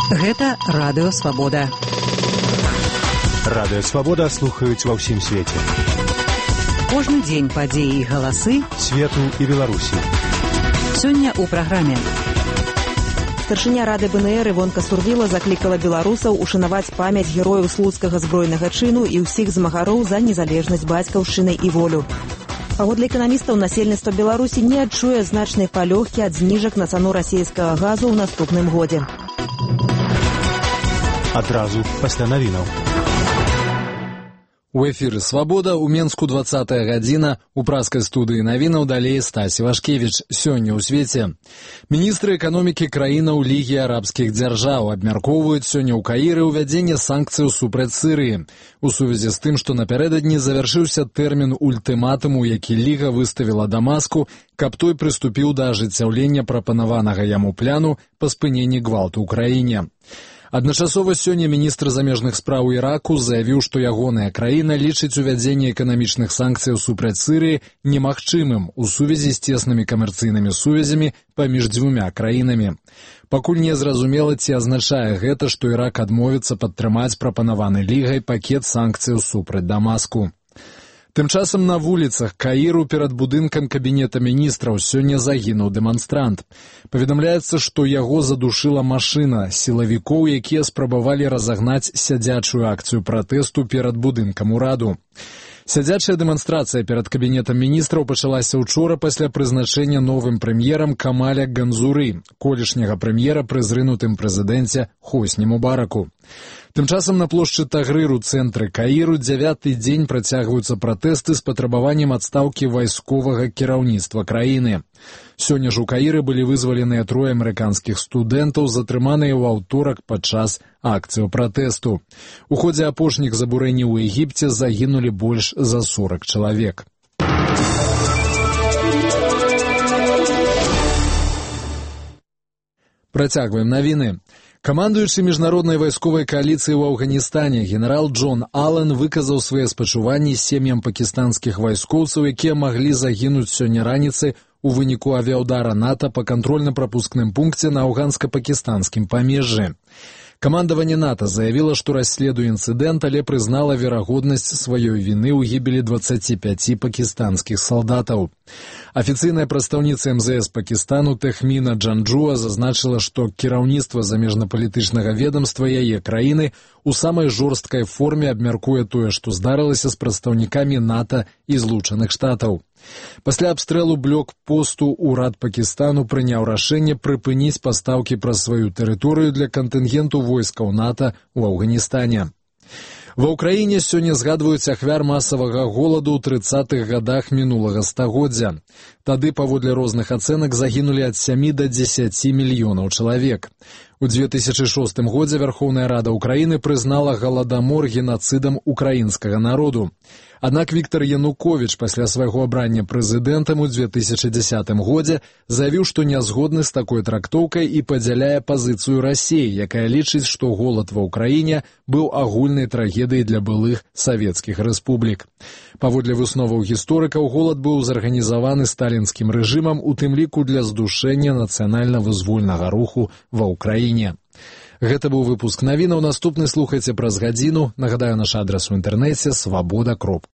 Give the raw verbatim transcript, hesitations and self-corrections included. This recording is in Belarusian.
Гэта Радыё Свабода. Радыё Свабода слухаюць ва ўсім свеце. Кожны дзень падзеі і галасы свету і Беларусі. Сёння ў праграме. Старшыня Рады БНР Івонка Сурвіла заклікала беларусаў ушанаваць памяць герояў слуцкага збройнага чыну і ўсіх змагароў за незалежнасць бацькаўшчыны і волю. Паводле эканамістаў, насельніцтва Беларусі не адчуе значнай палёгкі ад зніжак на цану расійскага газу ў наступным годзе. Адразу пасля навінаў. У эфіры «Свабода» у Менску двадцатая гадзіна, у праскай студыі навінаў далей Стась Івашкевіч. Сёння ў свеце. Міністры эканомікі краінаў Лігі арабскіх дзяржаў абмяркоўваюць сёння ў Каіры ўвядзенне санкцыяў супраць Сірыі. У сувязі з тым, што напярэдадні завяршыўся тэрмін ультыматуму, які Ліга выставіла Дамаску, каб той прыступіў да ажыццяўлення прапанаванага яму пляну па спыненні гвалту ў краіне. Адначасова сёння міністр замежных спраў Іраку заявіў, што ягоная краіна лічыць увядзенне эканамічных санкцыяў супраць Сірыі немагчымым у сувязі з цеснымі камерцыйнымі сувязямі паміж дзвюмя краінамі. Пакуль не зразумела, ці азначае гэта, што Ірак адмовіцца падтрымаць прапанаваны Лігай пакет санкцыяў супраць Дамаску. Тым часам на вуліцах Каіру перад будынкам кабінета міністраў сёння загінуў дэманстрант. Паведамляецца, што яго задушыла машына сілавікоў, якія спрабавалі разагнаць сядзячую акцыю пратэсту перад будынкам ураду. Сядзячая дэманстрацыя перад кабінетам міністраў пачалася ўчора пасля прызначэння новым прэм'ерам Камаля Ганзуры, колішняга прэм'ера пры зрынутым прэзідэнце Хосні Мубараку. Тым часам на плошчы Тагрыр у цэнтры Каіру дзявяты дзень працягваюцца пратэсты з патрабаваннем адстаўкі вайсковага кіраўніцтва краіны. Сёння ж у Каіры былі вызваленыя трое амерыканскіх студэнтаў, затрыманыя ў аўторак падчас акцыю пратэсту. У ходзе апошніх забурэнняў у Егіпце загінулі больш за сорак чалавек. Працягваем навіны. Камандуючы міжнароднай вайсковай кааліцыі ў Афганістане генерал Джон Аллен выказаў свае спачуванні сем'ям пакістанскіх вайскоўцаў, якія маглі загінуць сёння раніцай у выніку авіаўдара НАТО па кантрольна-прапускным пункце на афганска-пакістанскім памежжы. Камандаванне НАТО заявіла, што расследуе інцыдэнт, але прызнала верагоднасць сваёй віны ў гібелі дваццаці пяці пакістанскіх салдатаў. Афіцыйная прадстаўніца эм зэ эс Пакістану Тэхміна Джанджуа зазначыла, што кіраўніцтва замежнапалітычнага ведамства яе краіны у самай жорсткай форме абмяркуе тое, што здарылася з прадстаўнікамі НАТО і Злучаных Штатаў. Пасля абстрэлу блокпосту ўрад Пакістану прыняў рашэнне прыпыніць пастаўкі праз сваю тэрыторыю для кантынгенту войскаў НАТО ў Афганістане. Ва ўкраіне сёння згадваюць ахвяр масавага голаду ў трыццатых гадах мінулага стагоддзя. Тады, паводле розных ацэнак, загінулі ад сямі да дзесяці мільёнаў чалавек. У дзве тысячы шостым годзе Вярхоўная Рада ўкраіны прызнала галадамор генацыдам украінскага народу. Аднак Віктар Януковіч пасля свайго абрання прэзідэнтам у дзве тысячы дзесятым годзе заявіў, што не згодны з такой трактоўкай і падзяляе пазіцыю Расіі, якая лічыць, што голад ва ўкраіне быў агульнай трагедыяй для былых савецкіх рэспублік. Паводле высноваў гісторыкаў, голад быў зарганізаваны сталінскім рэжымам, у тым ліку для здушэння нацыянальна-вызвольнага руху ва ўкраіне. Гэта быў выпуск навінаў. Наступны слухайце праз гадзіну. Нагадаю, наш адрас у інтэрнэце свабода кропка